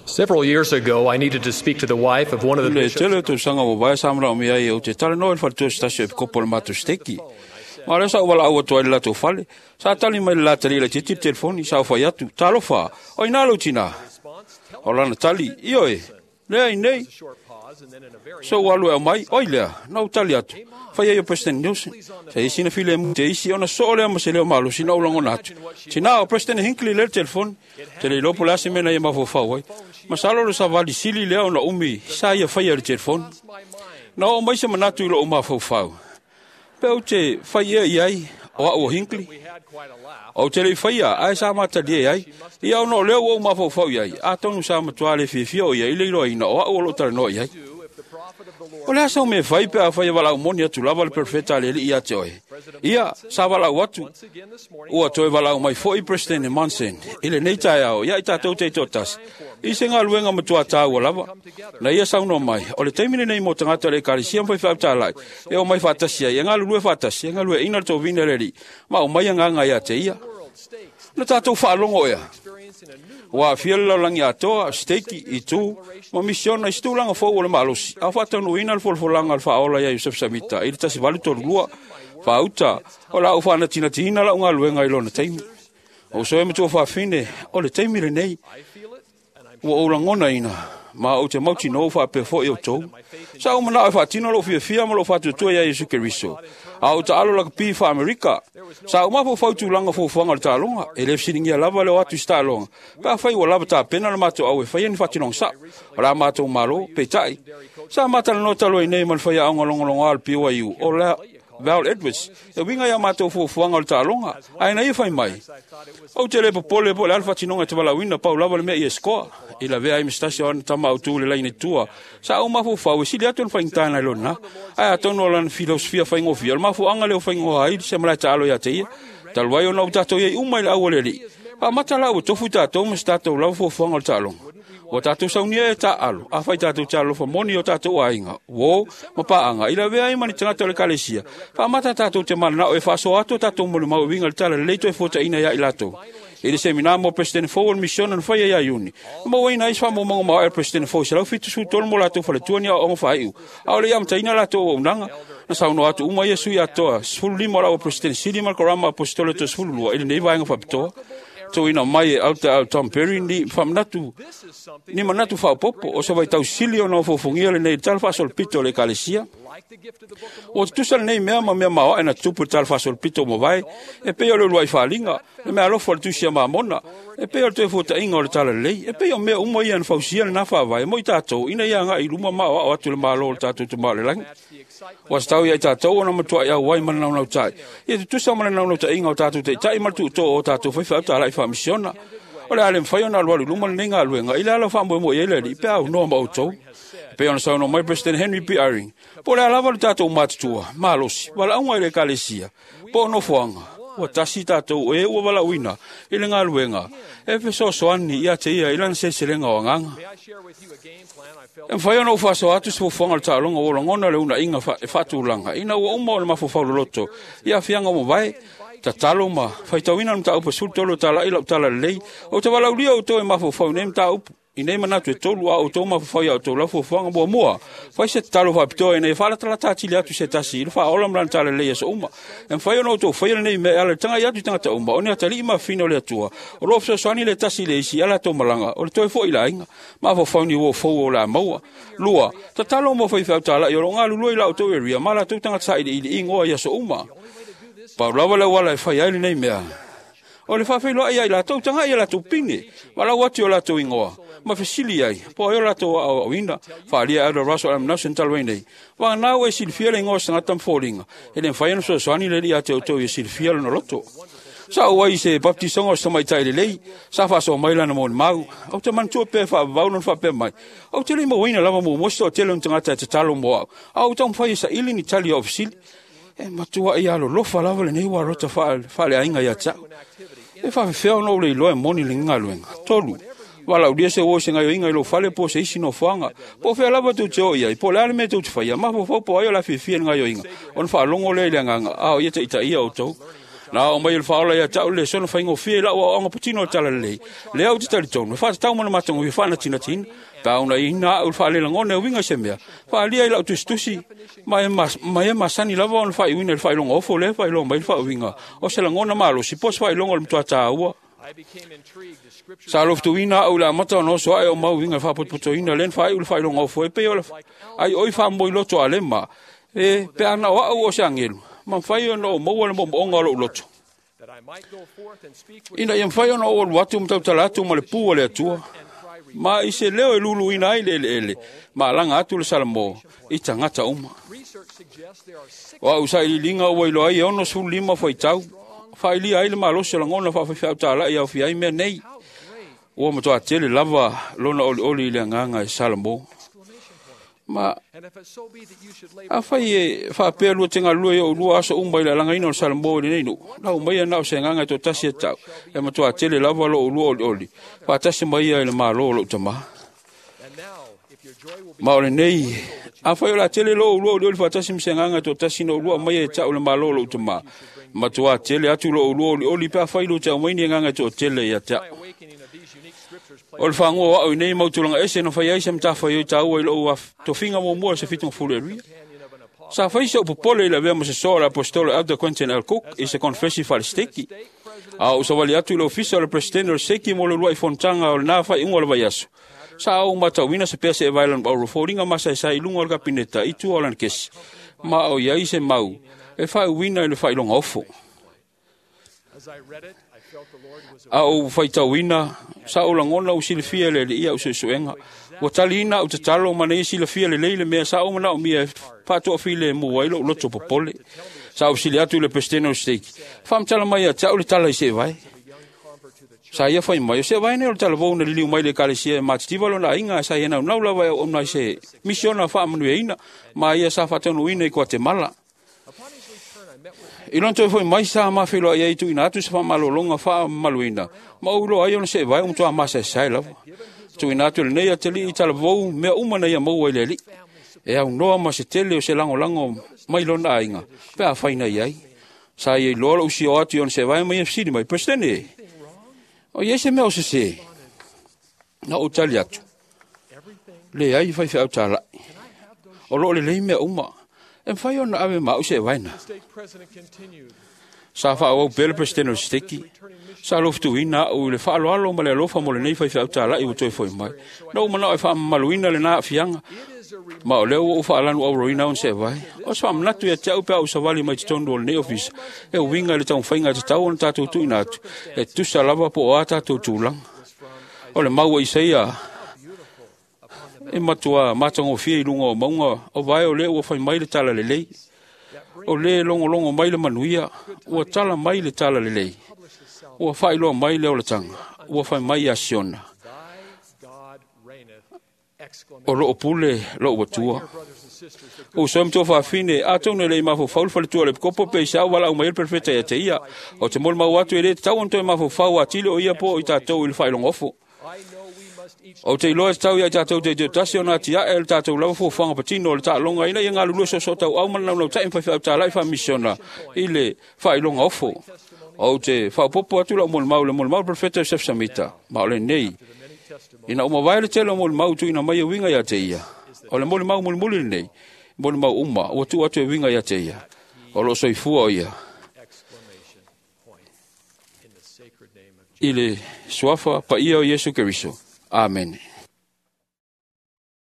Several years ago, I needed to speak to the wife of one of the Le bishops. tele o tausaga ua vaea sa manaomia ai ou te talanoa i le faletua se tasi o epikopo o le matou siteki. Ma o lea sa ou valaau atu ai i le latou fale. Sa tali mai le la talii laitiiti i le telefoni, sa ou fai atu, Talofa, o i ina lou tinā? O lana tali, Ioe, lea i inei. Sou alu e aumai, oi lea, na ou tali atu, Fai ai o President Nelson. Sa i ai sina filemu te isi ona soo lea ma se leo malosi na ou lagona atu, Tinā, o President Hinckley lea i le telefoni. Ou te le iloa po o le a se mea na ia mafaufau ai. Masalo o le savali sili lea ona umi sa ia faia i le telefoni. Na oo mai se manatu i lou mafaufau, Pe ou te fai ea i ai o au o Hinckley? Ou te le i faia, ae sa matalie ai ia ona o lea ua ou mafaufau i ai, atonu sa matua le fiafia o ia i le iloaina o au o lo o talanoa i ai. O le a sau mea e fai pe afai e valaau moni atu lava le perofeta a le Alii ia te oe? Ia, sa valaau atu. Ua toe valaau mai foi Peresetene Monson i lenei taeao ia i tatou taitoatasi i se galuega matua taua lava. Na ia saunoa mai, o le taimi lenei mo tagata o le Ekalesia ma faifeau talai e omai faatasi ai, e galulue faatasi, e galueaiina le tovina e le Alii, ma aumai agaga ia te ia. Na tatou faalogo ea, ua aafia le lalolagi atoa, siteiki, itu, ma misiona i se tulaga fou o le malosi, a o faataunuuina le folafolaga a le Faaola ia Iosefa Samita i le 1832. Faauta, o le a ou faanatinatiina lau galuega i lona taimi. Ou soe matua fafine, o le taimi lenei, ua ou lagonaina, ma ou te mautinoa ua faapea foi outou. Sa ou manao e faatino lou fiafia ma lou faatuatua ia Iesu Keriso, a o taalo lakapi faa-Amerika. Sa ou mafaufau i tulaga fuafuaga o le taaloga, e le fesiligia lava le o atu i se taaloga, pe afai ua lava tapena le matou au e faia ni faatinoga sao o le a matou malo. Peitai, sa ma talanoa talu ai nei ma le faiaoga logologoa o le BYU, o Val Edwards, e uiga i a matou fuafuaga o le taaloga, ae na ia fai mai, Ou te le popole po o le a le faatinoga e te valaauina, pau lava le mea ia e scoa. I lavea ai ma se tasi o ana tama autu i le laina i tua, sa ou mafaufau e sili atu ona faigata nai lo lena. Ae atonu o lana filosofia faigofie, o le mafuaaga lea ua faigō ai se malae taalo ia te ia. Talu ai ona ua tatou i ai uma i le au a le Alii, faamata la ua tofu i tatou ma se tatou lava fuafuaga o le taaloga. Ua tatou saunia e taaalo, afai tatou te alolofa moni i o tatou aiga, uō, ma paaga, i lavea ai ma ni tagata o le Ekalesia, faamata tatou te mananao e faasoa atu o tatou molimau e uiga i le Tala Lelei toe fuataina ia i latou. I le semina mo Peresetene fou o le misiona na faia ia Iuni, na mauaina ai se faamaumauga maoae a le Peresetene fou e 173 mo latou faletua ni aoaoga faaiu, a o le i amataina latou auaunaga. Na saunoa atu uma ia sui atoa 15 o la ua Peresetene sili ma le Korama Aposetolo toe 12 i lenei vaega faapitoa. Tuuina mai e Alta Al Tom Perry ni faamanatu ni manatu faaopoopo o se vaitau sili ona ofoofogia lenei i le tala faasolopito o le Ekalesia. Ua tutusa lenei mea ma mea maoae na tutupu i le tala faasolopito ua mavae, e pei o le uluai faaaliga, le meaalofa o le tusi a Mamona, e pei o le toe fuatainga o le talalelei, e pei o mea uma ia na fausia lena faavae mo i tatou ina ia agai i luma ma aoao atu le Malo o le tatou Tama o le Lagi. Ua tatau ia i tatou ona matuai auai ma le naunautai, ia tutusa ma le naunautaiga o tatou taitai ma le tuutoo o tatou faifeau talai faamisiona. O le a le mafai ona alualu i luma lenei galuega i le ala o faamoemoe i ai le Alii pe a aunoa ma outou. E pei ona saunoa mai President Henry B. Eyring, po o le a lava le tatou matutua, malosi, valaauga i le Ekalesia, po o nofoaga, ua tasi tatou o e ua valaauina i le galuega e fesoasoani ia te ia i lana seleselega o agaga. E mafai ona ou faasoa atu se fuafuaga o le taaloga ua lagona le uunaaiga e faatulaga ina ua uma ona mafaufau loloto i aafiaga ua mavae, tatalo ma faitauina le mataupu e 13 o talai lau tala lelei. Ou te valaaulia outou e mafaufau i nei mataupu, i nei manatu e tolu, a outou mafaufau i a outou lau fuafuaga. Muamua, fai se tatalo faapitoa ina ia faalatalata atili atu se tasi i le faaola ma lana talalelei i aso uma. E mafai ona outou faia lenei mea e ala i le tagai atu i tagata uma, o ni atalii ma afafine o le Atua, o lo o fesoasoani le tasi i le isi i a latou malaga, o le toe foi i le aiga. Mafaufau ni uo fou o le a maua. Lua, tatalo mo faifeau talai o lo o galulue i la outou area ma latou tagata sailiili igoa i aso uma. Pau lava le auala e fai ai lenei mea, o le faafeiloai ia i latou, tagai i a latou pine, valaau atu i o latou igoa, ma fesili ai, po o ai o latou aoaoina. Faaalia e Elder Russell M. Nelson talu ai nei, Vagana ua e silafia le igoa o se tagata ma foliga, e le mafai ona fesoasoani le Alii ia te outou ia silafia lona loto. Sa ou ai i se baptisoga o se tamaitai lelei, sa faasoa mai lana molimau. Ou te manatua pea e faavavau lona faapea mai, Ou te le i mauaina lava muamua se toatele o ni tagata e tatalo mo au, a ua taumafai e saili ni tali o au fesili. E matuai alolofa lava lenei ualota faaleaiga ia te au. E faafefea ona ou le iloa e moni lenei galuega? 3. Valaaulia se uo i se gaioiga i lou fale po o se isi nofoaga. Po o fea lava tou te o i ai, po o le a le mea tou te faia, mafaufau po o ai o le a fiafia i le gaioiga, ona faalogo lea i le agaga, a o ia taitaia outou. Na o mai le faaola ia te au le sono faigofie i lau aoaoga patino o le talalelei. Lea ou te talitonu, e faatatau ma le matagofie faanatinatiina, pe a unaiina au i le faalelagona e uiga i se mea, faaalia i lau tusitusi, ma e masani lava ona faaiuina i le faailoga ofo lea e faailoa mai le faauiga o se lagona malosi po o se faailoga o le matua tāua. Sa lofutuina au i le amata ona oso ae o mau uiga i le faapotopotoina lea na faaiu le faailoga ofo e pei o le ai oi faamomoiloto a lema, e pe ana o au o se agelu, ma mafai ona ou maua le moomooga o lou loto. Ina ia mafai ona ou alu atu ma tautala atu ma le pū o le Atua, ma i se leo e luluina ai le eleele, ma alaga atu le Salamo i tagata uma. O au sailiiliga ua iloa ai e 65 faitau, faailia ai le malosi o lagona faafaifeau talai aofia ai mea nei. Ua matua tele lava lona olioli i le agaga e Salamo. Ma afai e faapea lua te galulue i ou lua aso uma i le alagaina o le Salamo i lenei nuu, lau mai na o se agaga e toatasi e tau, e matua tele lava lou lua olioli, faatasi mai ia i le malo o lou tamā. Ma o lenei, afai o la tele lou lua olioli faatasi ma se agaga e toatasi na ou lua mai e tau le malo o lou tamā, matua tele atu lou lua olioli pe afai lua te aumai ni agaga e toatele ia te au. O le whangoa o au i nei mautulanga ese na whai ai se matafa i tāua i lou tofinga muamua se fitunga fulu e ruia. Sa whai se upopole i la vea mo se soa le apostolo Elder Quentin L. Cook i se konfesi whalesteki. A o sawali atu i le ofisa o le presidente o le seki mo le lua i fontanga o le nā whai unga o le vaiaso. Sa au matauina se pea se e vailan au roforinga masa e sa i lunga o le kapineta i tua o lana kesi. Ma o iai se mau e whai uina i le whailonga ofo. A ou faitauina, sa ou lagona u silafia le alii au suesuega. Ua taliina au tatalo ma nei silafia lelei le mea sa ou manaomia e faatoafilemu ai lou loto popole. Sa ou sili atu i le Presidente o le Stake, faamatala mai ia te au le tala i seevae. Sa ia fai mai, o seevae nei o le talavou na liliu mai le ekalesia e matitiva lona aiga sa ia naunau lava e auauna i se misiona faamanuiaina ma ia sa faataunuuina i Kuatemala. I lona toe foi mai sa mafeiloai ai tuuina atu se faamalologa faamamaluina, ma ou iloa ai ona seevae ua matua masaesae lava. Tuuina atu lenei atalii i talavou mea uma na ia maua i le alii. E aunoa ma se tele o se lagolago mai lona aiga, pe afai na iai. Sa ia iloa lou sio atu i ona seevae ma ia fesili mai, Presidente, o iai se mea o sesē? Na ou tali atu, leai faifeau talai. O loo lelei mea uma. E mafai ona ave ma au seevae na. Sa faaauau pea le Presidente o le Steki. Sa lofutuina au i le faaaloalo ma le alofa mo lenei faifeau talai ua toe foi mai. Na ou manao e faamamaluina lena aafiaga, ma o lea ua ou faalanu auroina ona seevae. O se faamanatu ia te au pe a ou savali mai totonu o lenei ofisa, e uiga i le taumafaiga e tatau ona tatou tuuina atu, e tusa lava po o a tatou tulaga. O le mau a Isaia e matua matagofie i luga o mauga o vae o lea ua fai mai le talalelei. O le logologo mai le manuia, ua tala mai le talalelei. Ua faailoa mai le olataga, ua fai mai ia Siona. O loo pule lou Atua. O uso e matua faafine, atonu e le i mafaufau le faletua o le epikopo pe i se au valaau mai ai le perofeta ia te ia. O te molimau atu e le tatau ona toe mafaufau atili o ia po o i tatou i le faailoga ofo. O te iloa e tatau ia i tatou teiteutasi ona atiae le tatou lava fuafuaga patino o le taaloga ina ia galulue soosootaua ma le naunautai ma faifeau talai faamisiona i le faailoga ofo. Ou te faaopoopo atu lau molimau i le molimau o le perofeta Joseph Samita, ma o lenei. Ina ua mavae le tele o molimau tuuina mai e uiga ia te ia. O le molimau mulimuli lenei, molimau uma ua tuu atu e uiga ia te ia. O loo soifua o ia. I le suafa paia o Iesu Keriso. Amene.